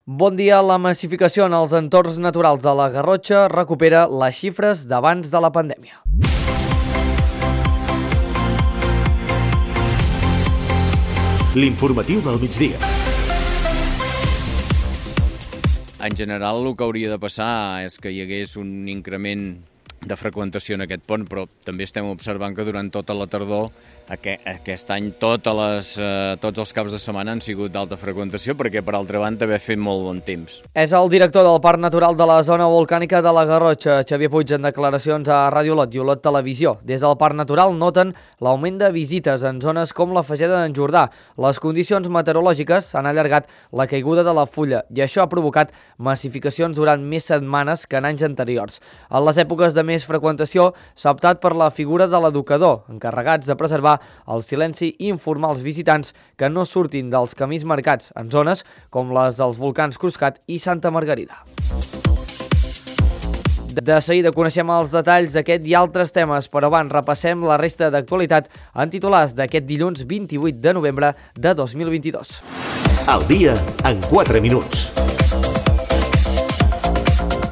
Bon dia. La massificació en els entorns naturals de la Garrotxa recupera les xifres d'abans de la pandèmia. L'informatiu del migdia. En general, el que hauria de passar és que hi hagués un increment de freqüentació en aquest pont, però també estem observant que durant tota la tardor, aquest any, tots els caps de setmana han sigut d'alta freqüentació, perquè per altra banda també ha fet molt bon temps. És el director del Parc Natural de la Zona Volcànica de la Garrotxa, Xavier Puig, en declaracions a Ràdio Olot i Olot Televisió. Des del Parc Natural noten l'augment de visites en zones com la Fageda d'en Jordà. Les condicions meteorològiques han allargat la caiguda de la fulla i això ha provocat massificacions durant més setmanes que en anys anteriors. En les èpoques de més freqüentació s'ha optat per la figura de l'educador, encarregats de preservar el silenci i informar els visitants que no surtin dels camins marcats en zones com les dels volcans Cruscat i Santa Margarida. De seguida coneixem els detalls d'aquest i altres temes, però abans repassem la resta d'actualitat en titulars d'aquest dilluns 28 de novembre de 2022. Al dia en 4 minuts.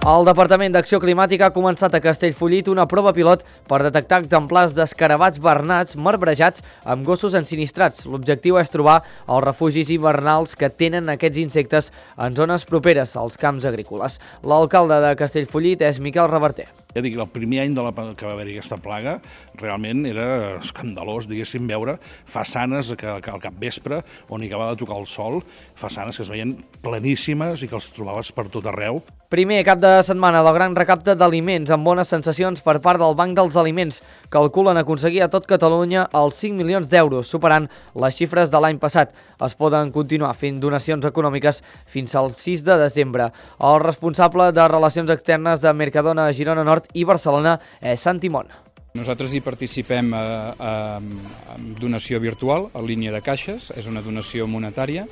El Departament d'Acció Climàtica ha començat a Castellfollit una prova pilot per detectar exemplars d'escarabats bernats marbrejats amb gossos ensinistrats. L'objectiu és trobar els refugis hivernals que tenen aquests insectes en zones properes als camps agrícoles. L'alcalde de Castellfollit és Miquel Reverter. Ja dic, el primer any que va haver-hi aquesta plaga realment era escandalós, diguéssim, veure façanes que al capvespre, on hi acabava de tocar el sol, façanes que es veien pleníssimes i que els trobaves per tot arreu. Primer cap de setmana del gran recapte d'aliments amb bones sensacions per part del Banc dels Aliments. Calculen aconseguir a tot Catalunya els 5 milions d'euros, superant les xifres de l'any passat. Es poden continuar fent donacions econòmiques fins al 6 de desembre. El responsable de Relacions Externes de Mercadona, Girona Nord i Barcelona és Santi Mont. Nosaltres hi participem amb donació virtual, en línia de caixes, és una donació monetària,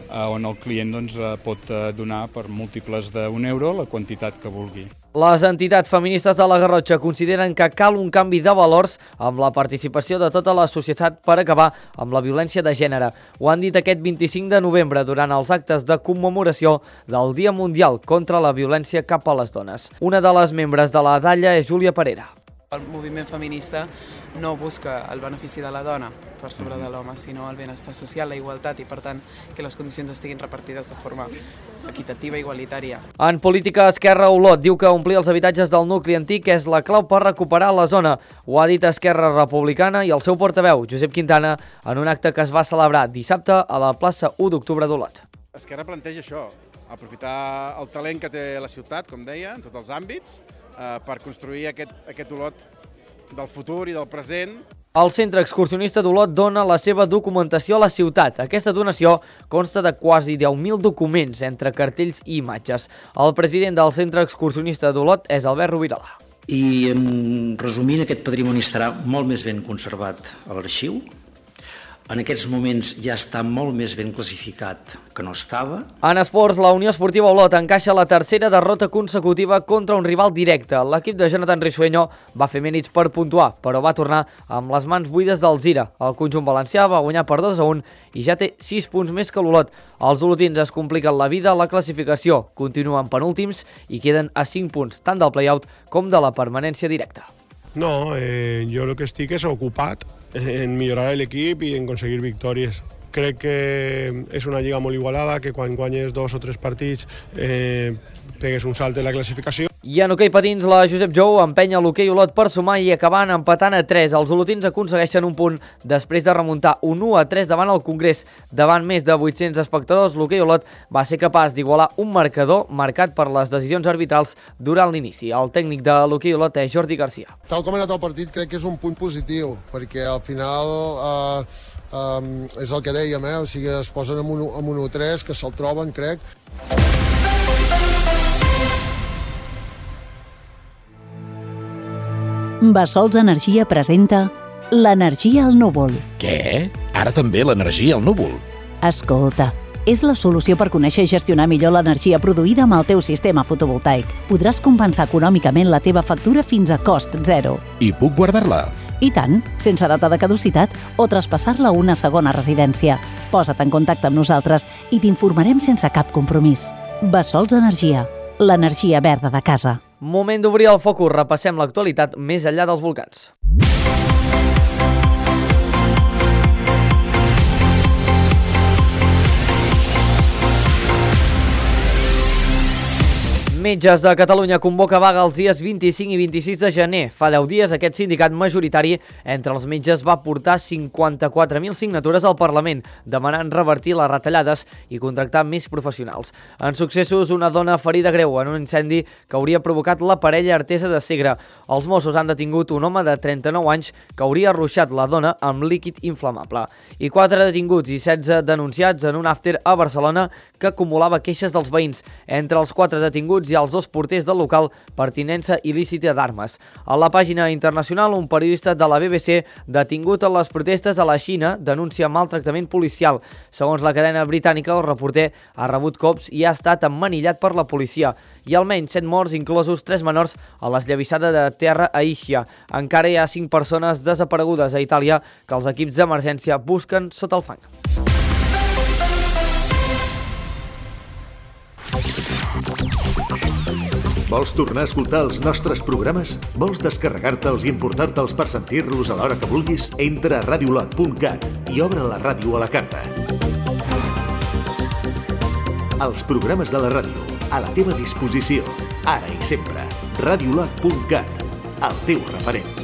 on el client pot donar per múltiples d'1 € la quantitat que vulgui. Les entitats feministes de la Garrotxa consideren que cal un canvi de valors amb la participació de tota la societat per acabar amb la violència de gènere. Ho han dit aquest 25 de novembre durant els actes de commemoració del Dia Mundial contra la Violència cap a les Dones. Una de les membres de la Dalla és Júlia Parera. El moviment feminista no busca el benefici de la dona per sobre de l'home, sinó el benestar social, la igualtat i, per tant, que les condicions estiguin repartides de forma equitativa i igualitària. En política, Esquerra Olot diu que omplir els habitatges del nucli antic és la clau per recuperar la zona. Ho ha dit Esquerra Republicana i el seu portaveu, Josep Quintana, en un acte que es va celebrar dissabte a la plaça 1 d'octubre d'Olot. Esquerra planteja això, aprofitar el talent que té la ciutat, com deia, en tots els àmbits, per construir aquest Olot del futur i del present. El Centre Excursionista d'Olot dona la seva documentació a la ciutat. Aquesta donació consta de quasi 10.000 documents entre cartells i imatges. El president del Centre Excursionista d'Olot és Albert Rovirola. I, resumint, aquest patrimoni estarà molt més ben conservat a l'arxiu. En aquests moments ja està molt més ben classificat que no estava. En esports, la Unió Esportiva Olot encaixa la tercera derrota consecutiva contra un rival directe. L'equip de Jonathan Risueño va fer mèrits per puntuar, però va tornar amb les mans buides del Zira. El conjunt valencià va guanyar per 2-1 i ja té 6 punts més que l'Olot. Els olotins es compliquen la vida a la classificació, continuen penúltims i queden a 5 punts, tant del play-out com de la permanència directa. No, jo el que estic és ocupat en millorar l'equip i en aconseguir victòries. Crec que és una lliga molt igualada, que quan guanyes 2 o 3 partits pegues un salt en la classificació. I en hoquei patins, la Josep Jou empenya l'hoquei Olot per sumar i acabant empatant a 3. Els olotins aconsegueixen un punt després de remuntar un 1-3 davant el Congrés. Davant més de 800 espectadors, l'hoquei Olot va ser capaç d'igualar un marcador marcat per les decisions arbitrals durant l'inici. El tècnic de l'hoquei Olot és Jordi Garcia. Tal com ha anat el partit, crec que és un punt positiu, perquè al final és el que dèiem, o sigui, es posen amb un 1-3, que se'l troben, crec. Bassols Energia presenta l'energia al núvol. Què? Ara també l'energia al núvol? Escolta, és la solució per conèixer i gestionar millor l'energia produïda amb el teu sistema fotovoltaic. Podràs compensar econòmicament la teva factura fins a cost zero. I puc guardar-la? I tant, sense data de caducitat o traspassar-la a una segona residència. Posa't en contacte amb nosaltres i t'informarem sense cap compromís. Bessols Energia, l'energia verda de casa. Moment d'obrir el focus, repassem l'actualitat més enllà dels volcans. Metges de Catalunya convoca vaga els dies 25 i 26 de gener. Fa 10 dies aquest sindicat majoritari entre els metges va portar 54.000 signatures al Parlament, demanant revertir les retallades i contractar més professionals. En successos, una dona ferida greu en un incendi que hauria provocat la parella Artesa de Segre. Els Mossos han detingut un home de 39 anys que hauria arruixat la dona amb líquid inflamable. I 4 detinguts i 16 denunciats en un after a Barcelona que acumulava queixes dels veïns. Entre els 4 detinguts i els 2 porters del local per tinença il·lícita d'armes. A la pàgina internacional, un periodista de la BBC detingut en les protestes a la Xina denuncia maltractament policial. Segons la cadena britànica, el reporter ha rebut cops i ha estat emmanillat per la policia. Hi ha almenys 7 morts, inclosos 3 menors, a l'esllavissada de terra a Ischia. Encara hi ha 5 persones desaparegudes a Itàlia que els equips d'emergència busquen sota el fang. Vols tornar a escoltar els nostres programes? Vols descarregar-te'ls i emportar-te'ls per sentir-los a l'hora que vulguis? Entra a radiolot.cat i obre la ràdio a la carta. Els programes de la ràdio, a la teva disposició, ara i sempre. Radiolot.cat, el teu referent.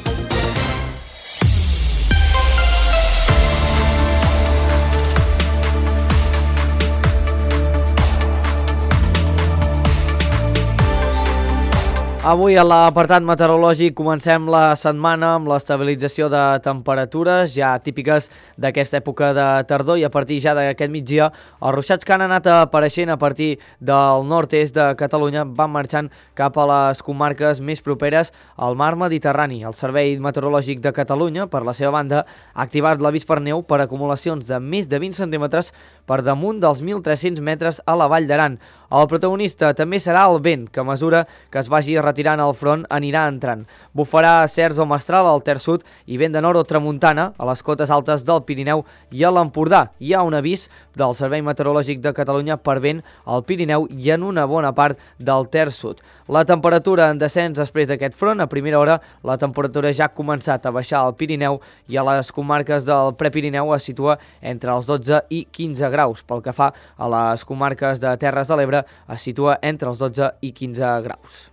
Avui a l'apartat meteorològic comencem la setmana amb l'estabilització de temperatures ja típiques d'aquesta època de tardor i a partir ja d'aquest migdia els ruixats que han anat apareixent a partir del nord-est de Catalunya van marxant cap a les comarques més properes al mar Mediterrani. El Servei Meteorològic de Catalunya, per la seva banda, ha activat l'avís per neu per acumulacions de més de 20 centímetres per damunt dels 1.300 metres a la Vall d'Aran. El protagonista també serà el vent, que a mesura que es vagi retirant el front anirà entrant. Bufarà cerç o mestral al terç sud i vent de nord o tramuntana a les cotes altes del Pirineu i a l'Empordà. Hi ha un avís del Servei Meteorològic de Catalunya per vent al Pirineu i en una bona part del terç sud. La temperatura en descens després d'aquest front. A primera hora la temperatura ja ha començat a baixar al Pirineu i a les comarques del Prepirineu es situa entre els 12 i 15 graus. Pel que fa a les comarques de Terres de l'Ebre es situa entre els 12 i 15 graus.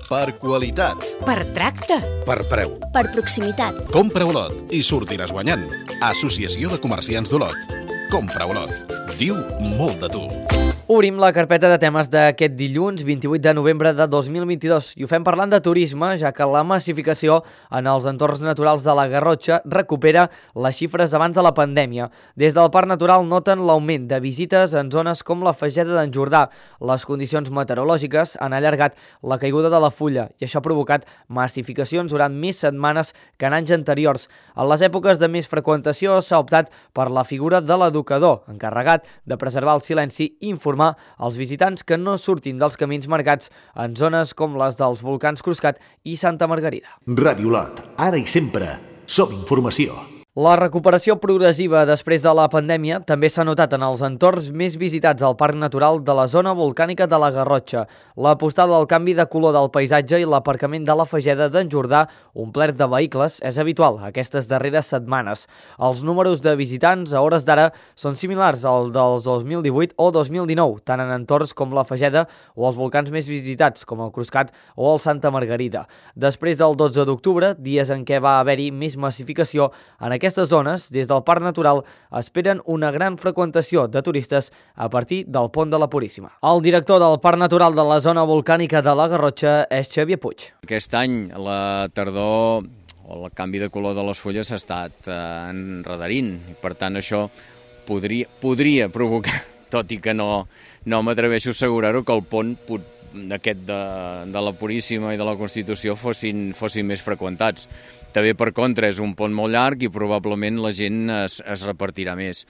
Per qualitat. Per tracte. Per preu. Per proximitat. Compra Olot i sortiràs guanyant. Associació de Comerciants d'Olot. Compra Olot. Diu molt de tu. Obrim la carpeta de temes d'aquest dilluns 28 de novembre de 2022 i ho fem parlant de turisme, ja que la massificació en els entorns naturals de la Garrotxa recupera les xifres abans de la pandèmia. Des del Parc Natural noten l'augment de visites en zones com la Fageda d'en Jordà. Les condicions meteorològiques han allargat la caiguda de la fulla i això ha provocat massificacions durant més setmanes que en anys anteriors. En les èpoques de més freqüentació s'ha optat per la figura de l'educador, encarregat de preservar el silenci i informar als visitants que no surtin dels camins marcats en zones com les dels volcans Cruscat i Santa Margarida. Ràdio Olot, ara i sempre, som informació. La recuperació progressiva després de la pandèmia també s'ha notat en els entorns més visitats al Parc Natural de la zona volcànica de la Garrotxa. La postada del canvi de color del paisatge i l'aparcament de la Fageda d'en Jordà, omplert de vehicles, és habitual aquestes darreres setmanes. Els números de visitants a hores d'ara són similars al dels 2018 o 2019, tant en entorns com la Fageda o els volcans més visitats, com el Cruscat o el Santa Margarida. Després del 12 d'octubre, dies en què va haver-hi més massificació, en aquestes zones, des del Parc Natural, esperen una gran freqüentació de turistes a partir del Pont de la Puríssima. El director del Parc Natural de la zona volcànica de la Garrotxa és Xavier Puig. Aquest any, la tardor o el canvi de color de les fulles s'ha estat enredarint i per tant això podria provocar, tot i que no m'atreveixo a assegurar-ho, que el pont aquest de la Puríssima i de la Constitució fossin més freqüentats. També, per contra, és un pont molt llarg i probablement la gent es repartirà més.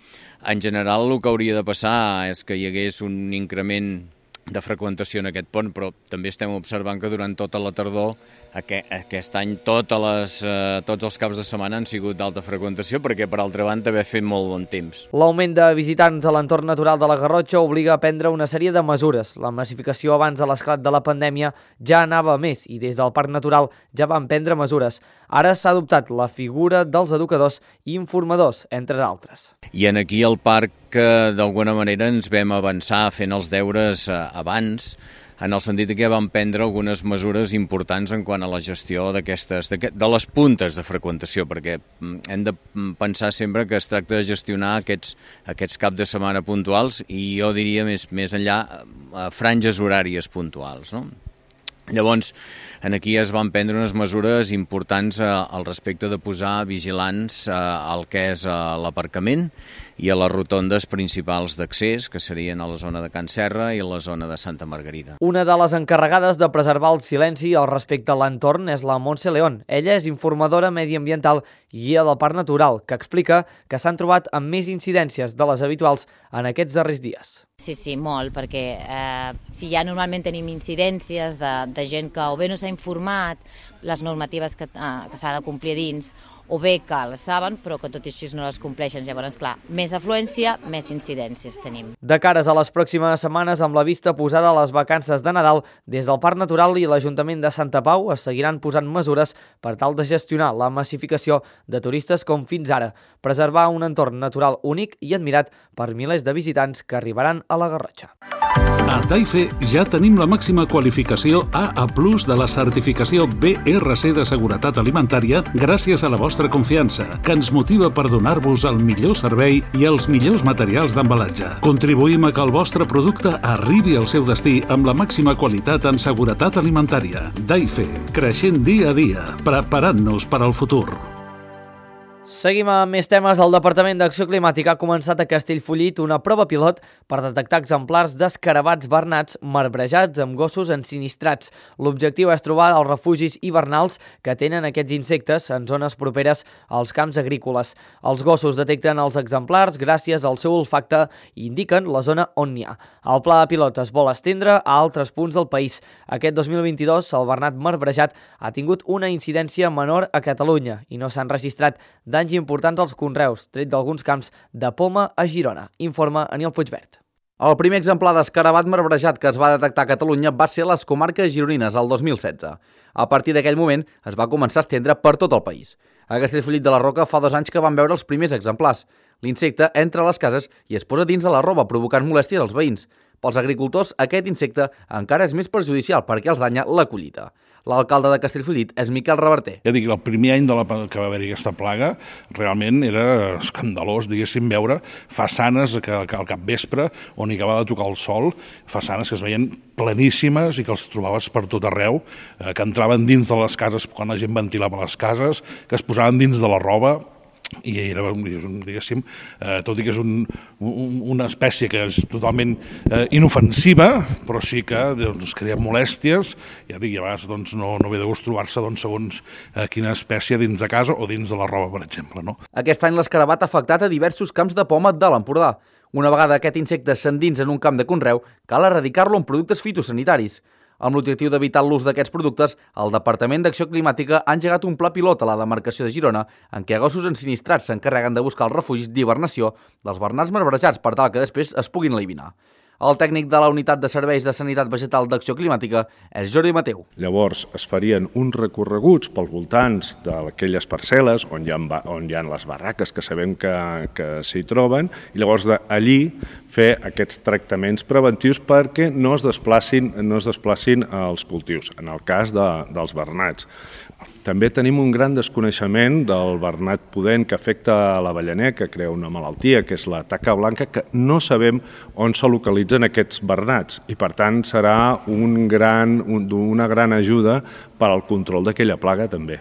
En general, el que hauria de passar és que hi hagués un increment de freqüentació en aquest pont, però també estem observant que durant tota la tardor aquest any tots els caps de setmana han sigut d'alta freqüentació perquè, per altra banda, ha fet molt bon temps. L'augment de visitants a l'entorn natural de la Garrotxa obliga a prendre una sèrie de mesures. La massificació abans de l'esclat de la pandèmia ja anava a més i des del Parc Natural ja van prendre mesures. Ara s'ha adoptat la figura dels educadors i informadors, entre altres. I aquí al parc, d'alguna manera, ens vam avançar fent els deures abans, en el sentit que vam prendre algunes mesures importants en quant a la gestió de les puntes de freqüentació, perquè hem de pensar sempre que es tracta de gestionar aquests caps de setmana puntuals i jo diria més enllà franges horàries puntuals, no? Llavors, aquí es van prendre unes mesures importants al respecte de posar vigilants al que és l'aparcament i a les rotondes principals d'accés, que serien a la zona de Can Serra i a la zona de Santa Margarida. Una de les encarregades de preservar el silenci al respecte a l'entorn és la Montse León. Ella és informadora mediambiental i guia del Parc Natural, que explica que s'han trobat amb més incidències de les habituals en aquests darrers dies. Sí, molt, perquè si ja normalment tenim incidències de gent que o bé no s'ha informat les normatives que s'ha de complir dins, o bé que les saben però que tot i així no les compleixen. Llavors, clar, més afluència, més incidències tenim. De cares a les pròximes setmanes, amb la vista posada a les vacances de Nadal, des del Parc Natural i l'Ajuntament de Santa Pau es seguiran posant mesures per tal de gestionar la massificació de turistes com fins ara, preservar un entorn natural únic i admirat per milers de visitants que arribaran a la Garrotxa. A Daife ja tenim la màxima qualificació AA+ de la certificació BRC de seguretat alimentària gràcies a la vostra confiança, que ens motiva per donar-vos el millor servei i els millors materials d'embalatge. Contribuïm a que el vostre producte arribi al seu destí amb la màxima qualitat en seguretat alimentària. Daife, creixent dia a dia, preparant-nos per al futur. Seguim amb més temes. El Departament d'Acció Climàtica ha començat a Castellfollit una prova pilot per detectar exemplars d'escarabats bernats marbrejats amb gossos ensinistrats. L'objectiu és trobar els refugis hivernals que tenen aquests insectes en zones properes als camps agrícoles. Els gossos detecten els exemplars gràcies al seu olfacte i indiquen la zona on n'hi ha. El pla pilot es vol estendre a altres punts del país. Aquest 2022 el bernat marbrejat ha tingut una incidència menor a Catalunya i no s'han registrat danys importants als conreus, tret d'alguns camps de poma a Girona, informa Aniol Puigvert. El primer exemplar d'escarabat marbrejat que es va detectar a Catalunya va ser a les comarques gironines el 2016. A partir d'aquell moment es va començar a estendre per tot el país. A Castellfollit de la Roca fa 2 anys que van veure els primers exemplars. L'insecte entra a les cases i es posa dins de la roba, provocant molèsties als veïns. Pels agricultors, aquest insecte encara és més perjudicial perquè els danya la collita. L'alcalde de Castellfollit és Miquel Reverter. Ja dic, el primer any que va haver-hi aquesta plaga realment era escandalós, diguéssim, veure façanes que al capvespre, on hi acabava de tocar el sol, façanes que es veien pleníssimes i que els trobaves per tot arreu, que entraven dins de les cases quan la gent ventilava les cases, que es posaven dins de la roba, i era, diguéssim, tot i que és una espècie que és totalment inofensiva, però sí que crea molèsties, ja dic, i a vegades no ve de gust trobar-se segons quina espècie dins de casa o dins de la roba, per exemple. Aquest any l'escarabat ha afectat a diversos camps de poma de l'Empordà. Una vegada aquest insecte s'endins en un camp de conreu, cal erradicar-lo amb productes fitosanitaris. Amb l'objectiu d'evitar l'ús d'aquests productes, el Departament d'Acció Climàtica ha engegat un pla pilot a la demarcació de Girona en què gossos ensinistrats s'encarreguen de buscar els refugis d'hibernació dels bernats marbrejats per tal que després es puguin eliminar. El tècnic de la Unitat de Serveis de Sanitat Vegetal d'Acció Climàtica és Jordi Mateu. Llavors es farien uns recorreguts pels voltants d'aquelles parcel·les on hi ha les barraques que sabem que s'hi troben i llavors d'allí fer aquests tractaments preventius perquè no es desplacin els cultius, en el cas dels bernats. També tenim un gran desconeixement del bernat pudent que afecta l'avellaner, que crea una malaltia, que és la taca blanca, que no sabem on se localitzen aquests bernats i, per tant, serà una gran ajuda per al control d'aquella plaga també.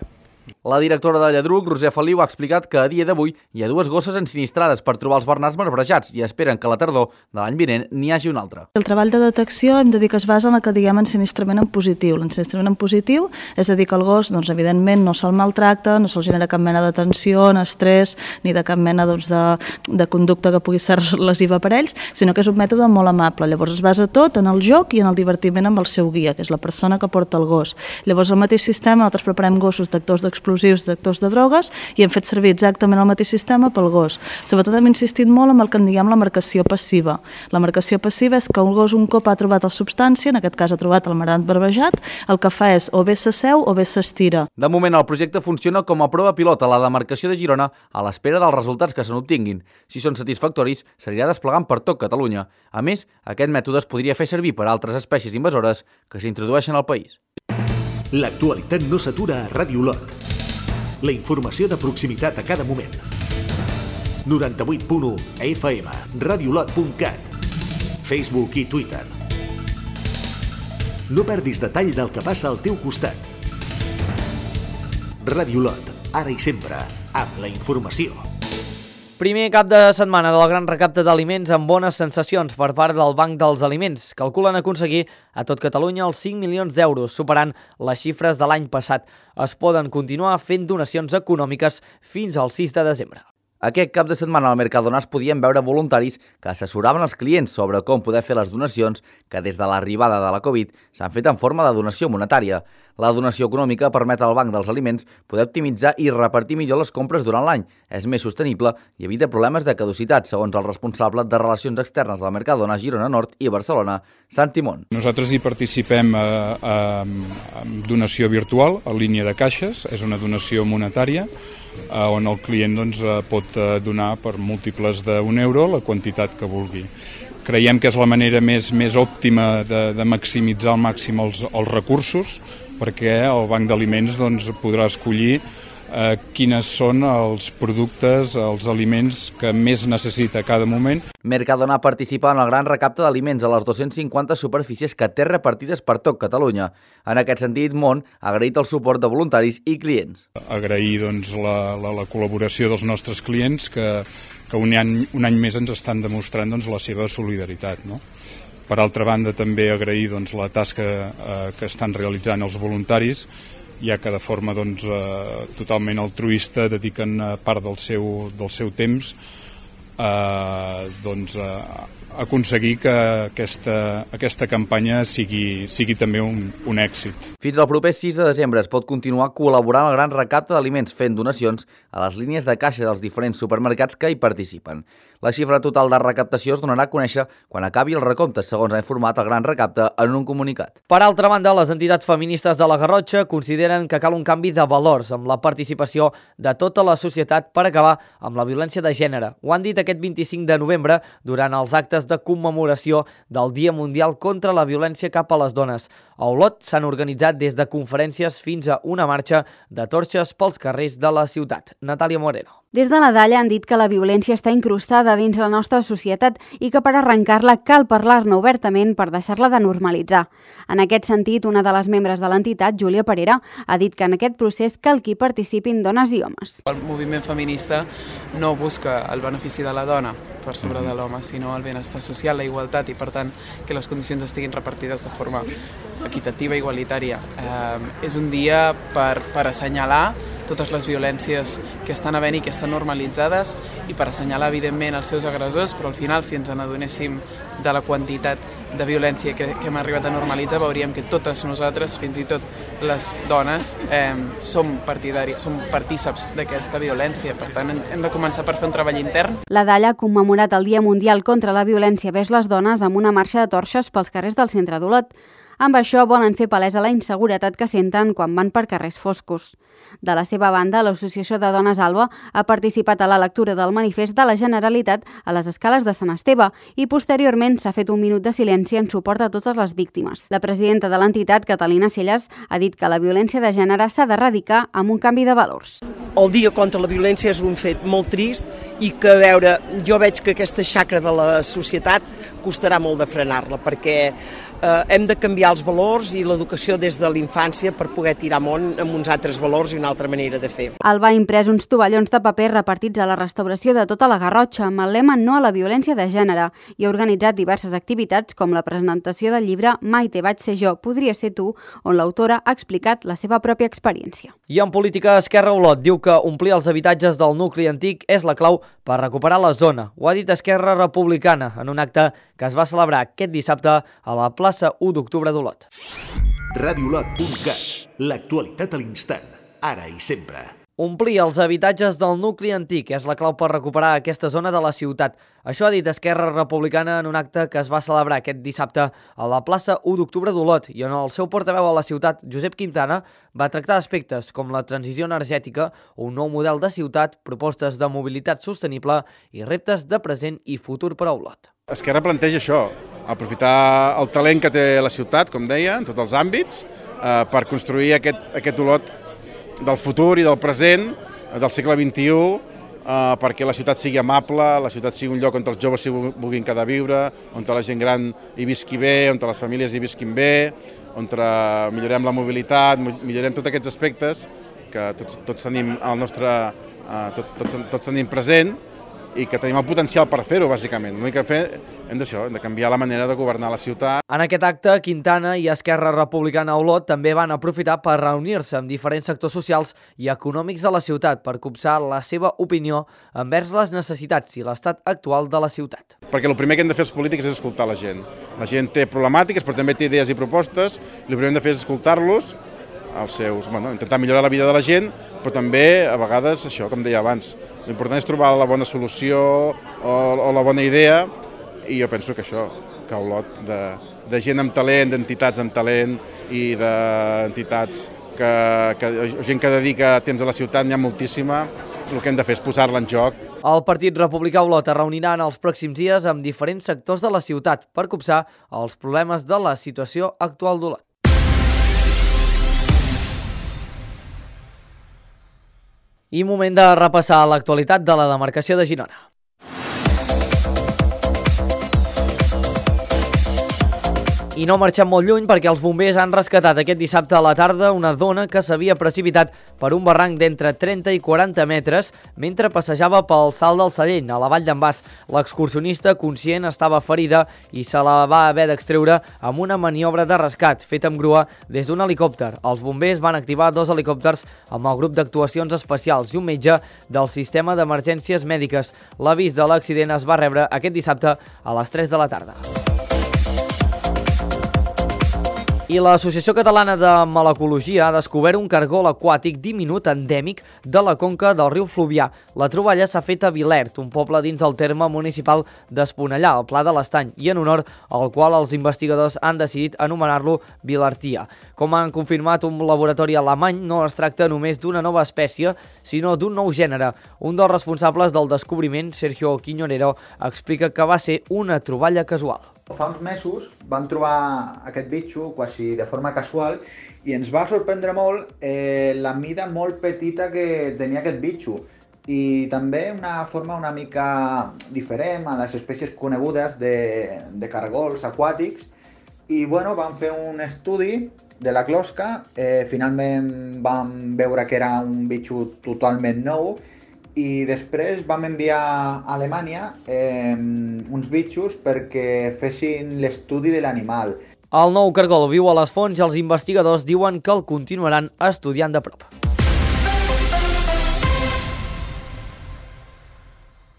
La directora de Lladruc, Roser Feliu, ha explicat que a dia d'avui hi ha 2 gosses ensinistrades per trobar els bernars marbrejats i esperen que a la tardor de l'any vinent n'hi hagi una altra. El treball de detecció hem de dir que es basa en el que diguem ensinistrament en positiu. L'ensinistrament en positiu és a dir que el gos, doncs, evidentment, no se'l maltracta, no se'l genera cap mena de tensió, estrès, ni de cap mena de conducta que pugui ser lesiva per ells, sinó que és un mètode molt amable. Llavors es basa tot en el joc i en el divertiment amb el seu guia, que és la persona que porta el gos. Llavors al mateix sistema nosaltres preparem gossos d'actors d'explosius, d'actors de drogues i hem fet servir exactament el mateix sistema pel gos. Sobretot hem insistit molt en el que en diguem la marcació passiva. La marcació passiva és que un gos un cop ha trobat la substància, en aquest cas ha trobat el marbrant barbejat, el que fa és o bé s'asseu o bé s'estira. De moment el projecte funciona com a prova pilot a la demarcació de Girona a l'espera dels resultats que se n'obtinguin. Si són satisfactoris, s'anirà desplegant per tot Catalunya. A més, aquest mètode es podria fer servir per a altres espècies invasores que s'introdueixen al país. L'actualitat no s'atura a Ràdio Olot. La informació de proximitat a cada moment. 98.1 FM, radiolot.cat, Facebook i Twitter. No perdis detall del que passa al teu costat. Ràdio Olot, ara i sempre, amb la informació. Primer cap de setmana del gran recapte d'aliments amb bones sensacions per part del Banc dels Aliments. Calculen aconseguir a tot Catalunya els 5 milions d'euros, superant les xifres de l'any passat. Es poden continuar fent donacions econòmiques fins al 6 de desembre. Aquest cap de setmana al Mercadona es podien veure voluntaris que assessoraven els clients sobre com poder fer les donacions que des de l'arribada de la Covid s'han fet en forma de donació monetària. La donació econòmica permet al Banc dels Aliments poder optimitzar i repartir millor les compres durant l'any. És més sostenible i evita problemes de caducitat, segons el responsable de Relacions Externes del Mercadona Girona Nord i Barcelona, Santi Mont. Nosaltres hi participem amb donació virtual, en línia de caixes, és una donació monetària, on el client pot donar per múltiples d'1 euro la quantitat que vulgui. Creiem que és la manera més òptima de maximitzar al màxim els recursos, perquè el Banc d'Aliments podrà escollir quines són els productes, els aliments que més necessita a cada moment. Mercadona participa en el gran recapte d'aliments a les 250 superfícies que té repartides per tot Catalunya. En aquest sentit, Mont ha agraït el suport de voluntaris i clients. Agrair la col·laboració dels nostres clients que un any més ens estan demostrant la seva solidaritat, no? Per altra banda, també agrair la tasca que estan realitzant els voluntaris, ja que de forma totalment altruista dediquen part del seu temps a aconseguir que aquesta campanya sigui també un èxit. Fins al proper 6 de desembre es pot continuar col·laborant al gran recapte d'aliments fent donacions a les línies de caixa dels diferents supermercats que hi participen. La xifra total de recaptació es donarà a conèixer quan acabi el recompte, segons ha informat el Gran Recapte en un comunicat. Per altra banda, les entitats feministes de la Garrotxa consideren que cal un canvi de valors amb la participació de tota la societat per acabar amb la violència de gènere. Ho han dit aquest 25 de novembre durant els actes de commemoració del Dia Mundial contra la Violència cap a les Dones. A Olot s'han organitzat des de conferències fins a una marxa de torxes pels carrers de la ciutat. Natàlia Moreno. Des de la Dalla han dit que la violència està incrustada dins la nostra societat i que per arrencar-la cal parlar-ne obertament per deixar-la de normalitzar. En aquest sentit, una de les membres de l'entitat, Júlia Parera, ha dit que en aquest procés cal que hi participin dones i homes. El moviment feminista no busca el benefici de la dona per sobre de l'home, sinó el benestar social, la igualtat i, per tant, que les condicions estiguin repartides de forma equitativa i igualitària. És un dia per assenyalar totes les violències que estan havent i que estan normalitzades i per assenyalar, evidentment, els seus agressors, però al final, si ens n'adonéssim de la quantitat de violència que hem arribat a normalitzar, veuríem que totes nosaltres, fins i tot les dones, som partíceps d'aquesta violència. Per tant, hem de començar per fer un treball intern. La Dalla ha commemorat el Dia Mundial contra la Violència vers les dones amb una marxa de torxes pels carrers del centre d'Olot. Amb això volen fer palesa la inseguretat que senten quan van per carrers foscos. De la seva banda, l'Associació de Dones Alba ha participat a la lectura del manifest de la Generalitat a les escales de Sant Esteve i posteriorment s'ha fet un minut de silenci en suport a totes les víctimes. La presidenta de l'entitat, Catalina Celles, ha dit que la violència de gènere s'ha d'erradicar amb un canvi de valors. El Dia contra la Violència és un fet molt trist i que, a veure, jo veig que aquesta xacra de la societat costarà molt de frenar-la perquè hem de canviar els valors i l'educació des de l'infància per poder tirar amunt amb uns altres valors i una altra manera de fer. Alba ha imprès uns tovallons de paper repartits a la restauració de tota la Garrotxa amb el lema No a la violència de gènere i ha organitzat diverses activitats com la presentació del llibre Maite, vaig ser jo, podria ser tu, on l'autora ha explicat la seva pròpia experiència. I en política, Esquerra Olot diu que omplir els habitatges del nucli antic és la clau per recuperar la zona. Ho ha dit Esquerra Republicana en un acte que es va celebrar aquest dissabte a la plaça 1 d'octubre d'Olot. radiolot.cat, l'actualitat a l'instant, ara i sempre. Omplir els habitatges del nucli antic és la clau per recuperar aquesta zona de la ciutat. Això ha dit Esquerra Republicana en un acte que es va celebrar aquest dissabte a la plaça 1 d'octubre d'Olot i on el seu portaveu a la ciutat, Josep Quintana, va tractar aspectes com la transició energètica, un nou model de ciutat, propostes de mobilitat sostenible i reptes de present i futur per a Olot. Esquerra planteja això, aprofitar el talent que té la ciutat, com deia, en tots els àmbits, per construir aquest Olot del futur i del present, del segle XXI, perquè la ciutat sigui amable, la ciutat sigui un lloc on els joves s'hi vulguin quedar a viure, on la gent gran hi visqui bé, on les famílies hi visquin bé, on millorem la mobilitat, millorem tots aquests aspectes que tots tenim al nostre, tots tenim present i que tenim el potencial per fer-ho, bàsicament. L'únic que hem de canviar la manera de governar la ciutat. En aquest acte, Quintana i Esquerra Republicana a Olot també van aprofitar per reunir-se amb diferents sectors socials i econòmics de la ciutat per copsar la seva opinió envers les necessitats i l'estat actual de la ciutat. Perquè el primer que hem de fer els polítics és escoltar la gent. La gent té problemàtiques, però també té idees i propostes, i el primer que hem de fer és escoltar-los, intentar millorar la vida de la gent, però també, a vegades, això, com deia abans, l'important és trobar la bona solució o la bona idea, i jo penso que això, que Olot, de gent amb talent, d'entitats amb talent i d'entitats, gent que dedica temps a la ciutat, n'hi ha moltíssima, el que hem de fer és posar-la en joc. El Partit Republicà Olot es reunirà en els pròxims dies amb diferents sectors de la ciutat per copsar els problemes de la situació actual d'Olot. I moment de repassar l'actualitat de la demarcació de Girona. I no marxem molt lluny perquè els bombers han rescatat aquest dissabte a la tarda una dona que s'havia precipitat per un barranc d'entre 30 i 40 metres mentre passejava pel Salt del Sallent, a la Vall d'en Bas. L'excursionista, conscient, estava ferida i se la va haver d'extreure amb una maniobra de rescat feta amb grua des d'un helicòpter. Els bombers van activar 2 helicòpters amb el grup d'actuacions especials i un metge del sistema d'emergències mèdiques. L'avís de l'accident es va rebre aquest dissabte a les 3 de la tarda. I l'Associació Catalana de Malacologia ha descobert un cargol aquàtic diminut endèmic de la conca del riu Fluvià. La troballa s'ha fet a Vilert, un poble dins el terme municipal d'Esponellà, al Pla de l'Estany, i en honor al qual els investigadors han decidit anomenar-lo Vilartia. Com han confirmat un laboratori alemany, no es tracta només d'una nova espècie, sinó d'un nou gènere. Un dels responsables del descobriment, Sergio Quiñonero, explica que va ser una troballa casual. Fa uns mesos vam trobar aquest bitxo quasi de forma casual i ens va sorprendre molt la mida molt petita que tenia aquest bitxo i també una forma una mica diferent a les espècies conegudes de cargols aquàtics i bueno, vam fer un estudi de la closca, finalment vam veure que era un bitxo totalment nou i després vam enviar a Alemanya uns bitxos perquè fessin l'estudi de l'animal. El nou cargol viu a les fonts i els investigadors diuen que el continuaran estudiant de prop.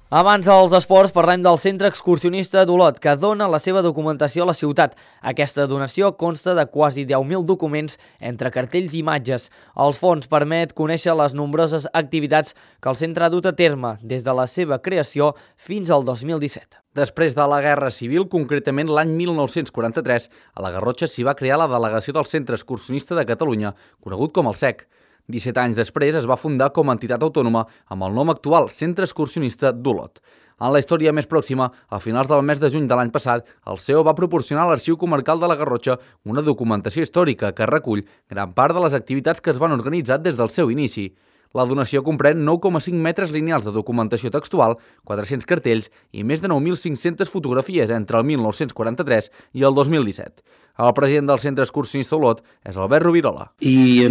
Abans dels esports parlem del Centre Excursionista d'Olot, que dona la seva documentació a la ciutat. Aquesta donació consta de quasi 10.000 documents entre cartells i imatges. Els fons permet conèixer les nombroses activitats que el centre ha dut a terme des de la seva creació fins al 2017. Després de la Guerra Civil, concretament l'any 1943, a la Garrotxa s'hi va crear la delegació del Centre Excursionista de Catalunya, conegut com el CEC. 17 anys després es va fundar com a entitat autònoma amb el nom actual Centre Excursionista d'Olot. En la història més pròxima, a finals del mes de juny de l'any passat, el CEO va proporcionar a l'Arxiu Comarcal de la Garrotxa una documentació històrica que recull gran part de les activitats que es van organitzar des del seu inici. La donació comprèn 9,5 metres lineals de documentació textual, 400 cartells i més de 9.500 fotografies entre el 1943 i el 2017. El president del Centre Excursionista Olot és Albert Rovirola. I,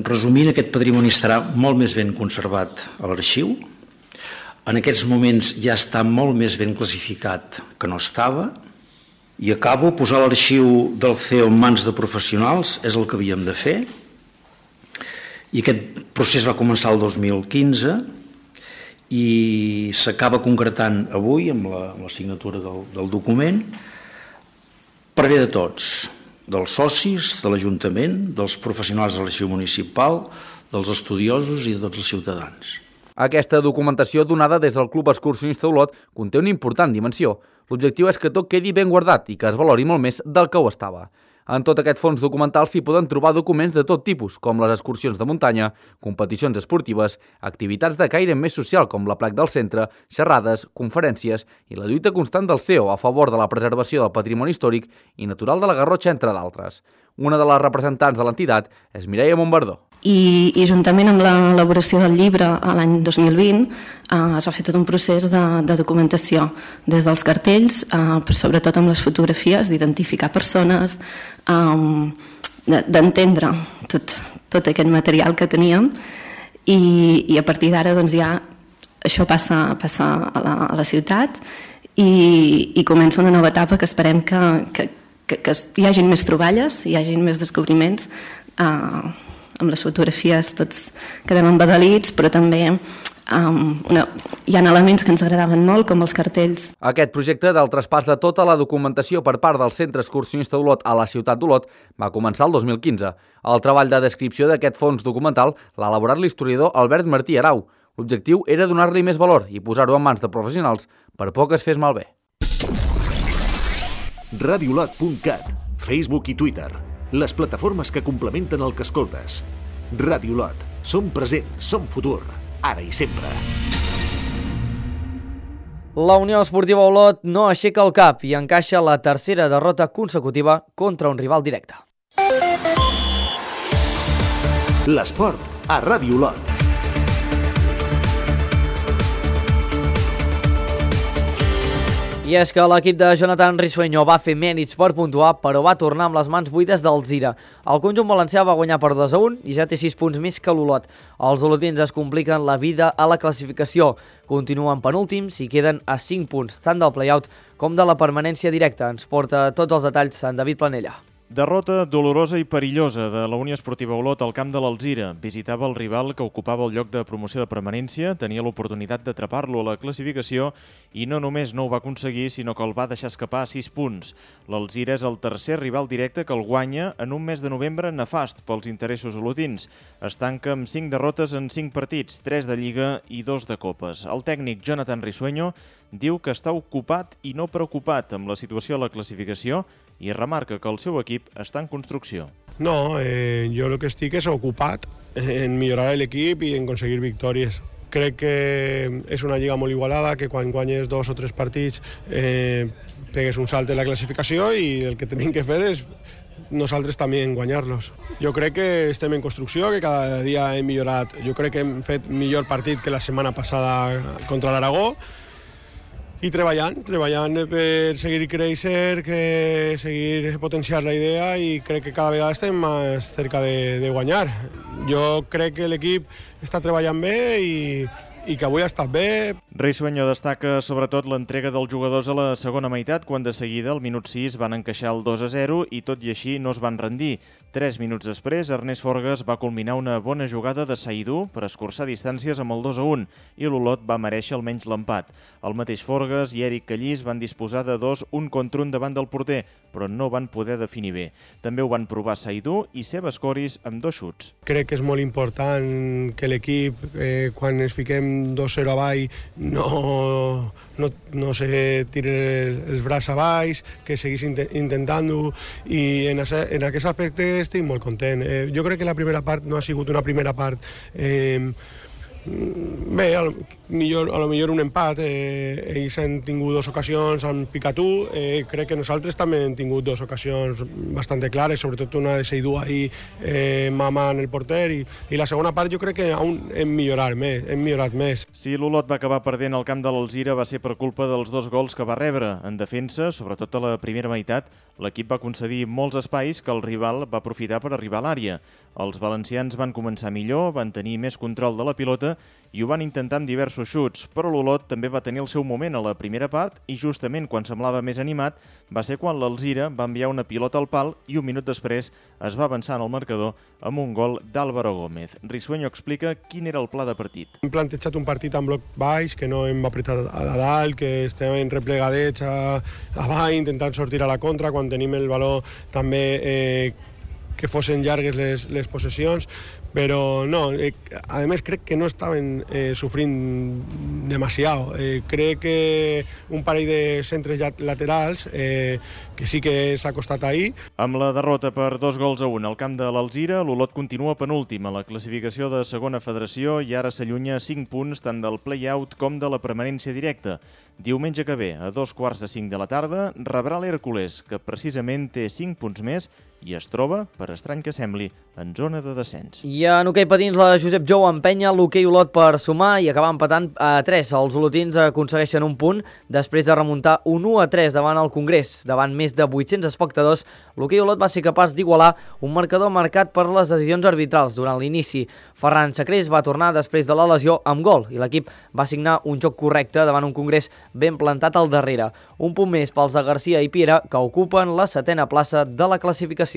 resumint, aquest patrimoni estarà molt més ben conservat a l'arxiu. En aquests moments ja està molt més ben classificat que no estava. I acabo, posar l'arxiu del CEO en mans de professionals és el que havíem de fer. I aquest procés va començar el 2015 i s'acaba concretant avui amb la signatura del document per bé de tots, dels socis, de l'Ajuntament, dels professionals de l'arxiu municipal, dels estudiosos i de tots els ciutadans. Aquesta documentació donada des del Club Excursionista Olot conté una important dimensió. L'objectiu és que tot quedi ben guardat i que es valori molt més del que ho estava. En tot aquest fons documental s'hi poden trobar documents de tot tipus, com les excursions de muntanya, competicions esportives, activitats de caire més social com la Plac del Centre, xerrades, conferències i la lluita constant del CEO a favor de la preservació del patrimoni històric i natural de la Garrotxa, entre d'altres. Una de les representants de l'entitat és Mireia Montbardó. I juntament amb l'elaboració del llibre l'any 2020 es va fer tot un procés de documentació des dels cartells, sobretot amb les fotografies, d'identificar persones, d'entendre tot aquest material que teníem i a partir d'ara doncs, ja això passa a la ciutat i comença una nova etapa que esperem que hi hagin més troballes, hi hagin més descobriments. Amb les fotografies tots quedem embadalits, però també hi ha elements que ens agradaven molt, com els cartells. Aquest projecte del traspàs de tota la documentació per part del Centre Excursionista Olot a la ciutat d'Olot va començar el 2015. El treball de descripció d'aquest fons documental l'ha elaborat l'historiador Albert Martí Arau. L'objectiu era donar-li més valor i posar-ho en mans de professionals per por que es fes malbé. Radiolot.cat, Facebook i Twitter. Les plataformes que complementen el que escoltes. Ràdio Olot. Som present, som futur, ara i sempre. La Unió Esportiva Olot no aixeca el cap i encaixa la tercera derrota consecutiva contra un rival directe. L'esport a Ràdio Olot. I és que l'equip de Jonathan Risueño va fer mèrits per puntuar, però va tornar amb les mans buides del Zira. El conjunt valencià va guanyar per 2-1 i ja té 6 punts més que l'Olot. Els olotins es compliquen la vida a la classificació. Continuen penúltims i queden a 5 punts, tant del play-out com de la permanència directa. Ens porta tots els detalls en David Planella. Derrota dolorosa i perillosa de la Unió Esportiva Olot al camp de l'Alzira. Visitava el rival que ocupava el lloc de promoció de permanència, tenia l'oportunitat d'atrapar-lo a la classificació i no només no ho va aconseguir, sinó que el va deixar escapar a 6 punts. L'Alzira és el tercer rival directe que el guanya en un mes de novembre nefast pels interessos olotins. Es tanca amb 5 derrotes en 5 partits, 3 de Lliga i 2 de Copes. El tècnic Jonathan Risueño diu que està ocupat i no preocupat amb la situació a la classificació i remarca que el seu equip està en construcció. No, jo el que estic és ocupat en millorar l'equip i en aconseguir victòries. Crec que és una lliga molt igualada, que quan guanyes 2 o 3 partits pegues un salt en la classificació i el que tenim que fer és nosaltres també guanyar-los. Jo crec que estem en construcció, que cada dia hem millorat. Jo crec que hem fet millor partit que la setmana passada contra l'Aragó, i treballant per seguir créixer, seguir potenciar la idea i crec que cada vegada estem més cerca de guanyar. Jo crec que l'equip està treballant bé i que avui ha estat bé. Risueño destaca sobretot l'entrega dels jugadors a la segona meitat, quan de seguida, al minut 6, van encaixar el 2-0 i tot i així no es van rendir. 3 minuts després, Ernest Forgues va culminar una bona jugada de Saïdou per escurçar distàncies amb el 2-1 i l'Olot va merèixer almenys l'empat. El mateix Forgues i Eric Callís van disposar de 2 1 contra 1 davant del porter, però no van poder definir bé. També ho van provar Saïdou i Sebas Coris amb 2 xuts. Crec que és molt important que l'equip, quan es fiquem 2-0 avall, no se tire els braços avall, que seguís intentant-ho, i en aquest aspecte estic molt content. Jo crec que la primera part no ha sigut una primera part Bé, a lo millor un empat. Ells han tingut 2 ocasions, han picat 1. Crec que nosaltres també hem tingut 2 ocasions bastant clares, sobretot una de Seydou ahir mamant el porter, i la segona part jo crec que hem millorat més. Si l'Olot va acabar perdent al camp de l'Alzira va ser per culpa dels 2 gols que va rebre. En defensa, sobretot a la primera meitat, l'equip va concedir molts espais que el rival va aprofitar per arribar a l'àrea. Els valencians van començar millor, van tenir més control de la pilota i ho van intentar amb diversos xuts, però l'Olot també va tenir el seu moment a la primera part i justament quan semblava més animat va ser quan l'Alzira va enviar una pilota al pal i un minut després es va avançar en el marcador amb un gol d'Álvaro Gómez. Risueño explica quin era el pla de partit. Hem plantejat un partit amb bloc baix, que no hem apretat a dalt, que estem replegadets a baix, intentant sortir a la contra, quan tenim el valor també que fossin llargues les possessions, però no, a més crec que no estaven sofrint demasiado. Crec que un parell de centres laterals que sí que s'ha costat ahir. Amb la derrota per 2-1 al camp de l'Alzira, l'Olot continua penúltim a la classificació de segona federació i ara s'allunya 5 punts tant del play-out com de la permanència directa. Diumenge que ve, a 4:45 de la tarda, rebrà l'Hèrcules, que precisament té 5 punts més i es troba, per estrany que sembli, en zona de descens. I en hoquei patins, la Josep Jou empenya l'hoquei Olot per sumar i acabar empatant a 3. Els olotins aconsegueixen un punt després de remuntar un 1-3 davant el Congrés. Davant més de 800 espectadors, l'hoquei Olot va ser capaç d'igualar un marcador marcat per les decisions arbitrals durant l'inici. Ferran Sacrés va tornar després de la lesió amb gol i l'equip va signar un joc correcte davant un Congrés ben plantat al darrere. Un punt més pels de Garcia i Piera, que ocupen la 7a plaça de la classificació.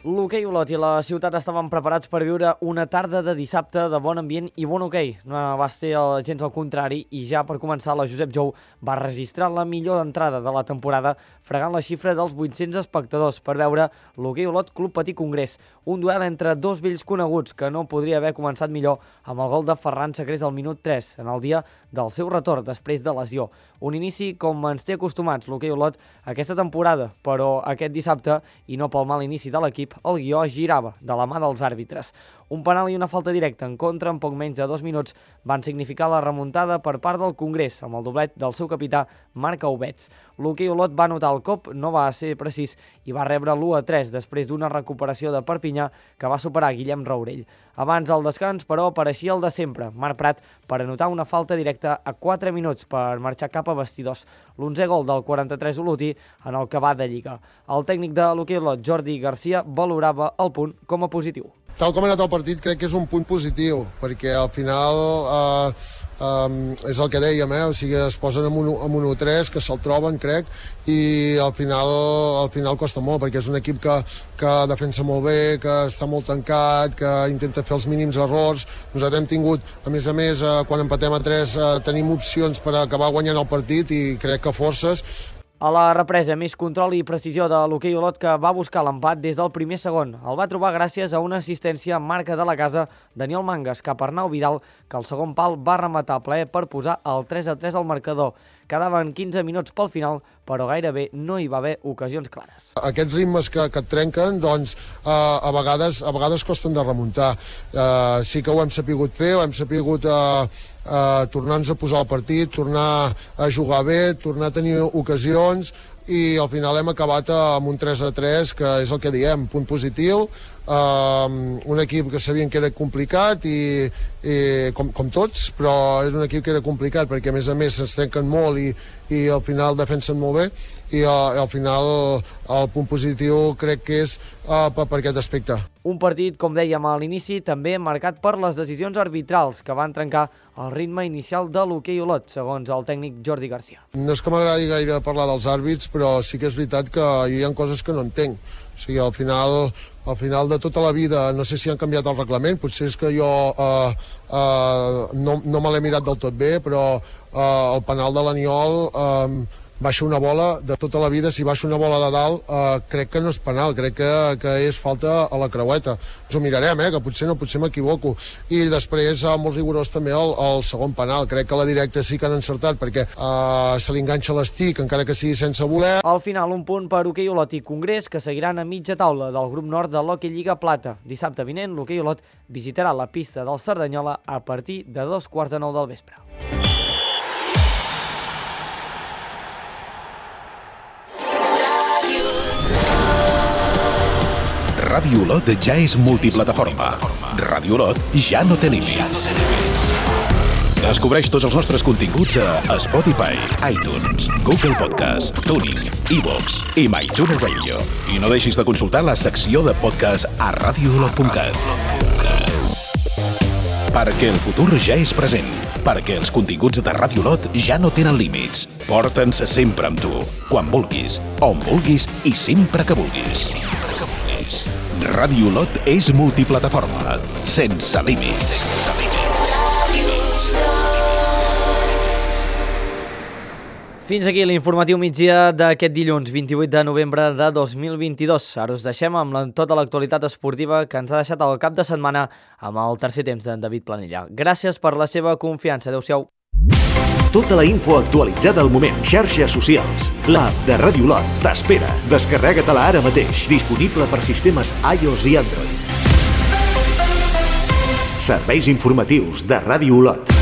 L'hoquei Olot i la ciutat estaven preparats per viure una tarda de dissabte de bon ambient i bon hoquei. No va ser gens al contrari i ja per començar la Josep Jou va registrar la millor entrada de la temporada fregant la xifra dels 800 espectadors per veure l'hoquei Olot Club Patí Congrés. Un duel entre 2 vells coneguts que no podria haver començat millor amb el gol de Ferran Sacrés al minut 3 en el dia del seu retorn després de lesió. Un inici com ens té acostumats l'hoquei Olot aquesta temporada, però aquest dissabte, i no pel mal inici de l'equip, el guió girava de la mà dels àrbitres. Un penal i una falta directa en contra en poc menys de 2 minuts van significar la remuntada per part del Congrés amb el doblet del seu capità Marc Aubets. L'hoquei Olot va notar el cop, no va ser precís i va rebre l'1-3 després d'una recuperació de Perpinyà que va superar Guillem Raurell. Abans del descans, però, apareixia el de sempre, Marc Prat, per anotar una falta directa a 4 minuts per marxar cap a vestidors. L'11è gol del 43 olotí en el que va de Lliga. El tècnic de l'hoquei Olot, Jordi Garcia, valorava el punt com a positiu. Tal com ha anat el partit, crec que és un punt positiu, perquè al final és el que dèiem, o sigui, es posen amb un 1-3, que se'l troben, crec, i al final costa molt, perquè és un equip que defensa molt bé, que està molt tancat, que intenta fer els mínims errors. Nosaltres hem tingut, a més, quan empatem a 3, tenim opcions per acabar guanyant el partit i crec que forces. A la represa, més control i precisió de l'hoquei Olot, que va buscar l'empat des del primer segon. El va trobar gràcies a una assistència en marca de la casa Daniel Mangas cap a Arnau Vidal, que al segon pal va rematar plaer per posar el 3-3 al marcador. Quedaven 15 minuts pel final, però gairebé no hi va haver ocasions clares. Aquests ritmes que et trenquen, doncs, a vegades costen de remuntar. Sí que ho hem sapigut fer, ho hem sapigut tornar-nos a posar al partit, tornar a jugar bé, tornar a tenir ocasions, i al final hem acabat amb un 3-3, que és el que diem, punt positiu, un equip que sabien que era complicat, i com tots, però és un equip que era complicat, perquè a més se'ns trenquen molt i al final defensen molt bé, i al final el punt positiu crec que és per aquest aspecte. Un partit, com dèiem a l'inici, també marcat per les decisions arbitrals que van trencar el ritme inicial de l'hoquei Olot, segons el tècnic Jordi Garcia. No és que m'agradi gaire parlar dels àrbits, però sí que és veritat que hi ha coses que no entenc. O sigui, al final de tota la vida, no sé si han canviat el reglament, potser és que jo no me l'he mirat del tot bé, però el penal de l'Aniol baixa una bola de tota la vida, si baixa una bola de dalt, crec que no és penal, crec que és falta a la creueta. Ens ho mirarem, que potser m'equivoco. I després, molt rigorós també el segon penal. Crec que la directa sí que han encertat, perquè se li enganxa l'estic, encara que sigui sense voler. Al final, un punt per Hoquei Olot i Congrés, que seguiran a mitja taula del grup nord de l'Hockey Lliga Plata. Dissabte vinent, l'Hoquei Olot visitarà la pista del Cerdanyola a partir de 9:15 del vespre. Ràdio Olot ja és multiplataforma. Ràdio Olot ja no té límits. Descobreix tots els nostres continguts a Spotify, iTunes, Google Podcast, TuneIn, iVoox i MyTuner Radio. I no deixis de consultar la secció de podcast a radioolot.cat. Perquè el futur ja és present. Perquè els continguts de Ràdio Olot ja no tenen límits. Porta'ns sempre amb tu, quan vulguis, on vulguis i sempre que vulguis. Ràdio Olot és multiplataforma, sense límits. Fins aquí l'informatiu migdia d'aquest dilluns, 28 de novembre de 2022. Ara us deixem amb tota l'actualitat esportiva que ens ha deixat el cap de setmana amb el tercer temps d'en David Planella. Gràcies per la seva confiança. Adéu-siau. Tota la info actualitzada al moment. Xarxes socials. L'app de Ràdio Olot t'espera. Descarrega-te-la ara mateix. Disponible per sistemes iOS i Android. Serveis informatius de Ràdio Olot.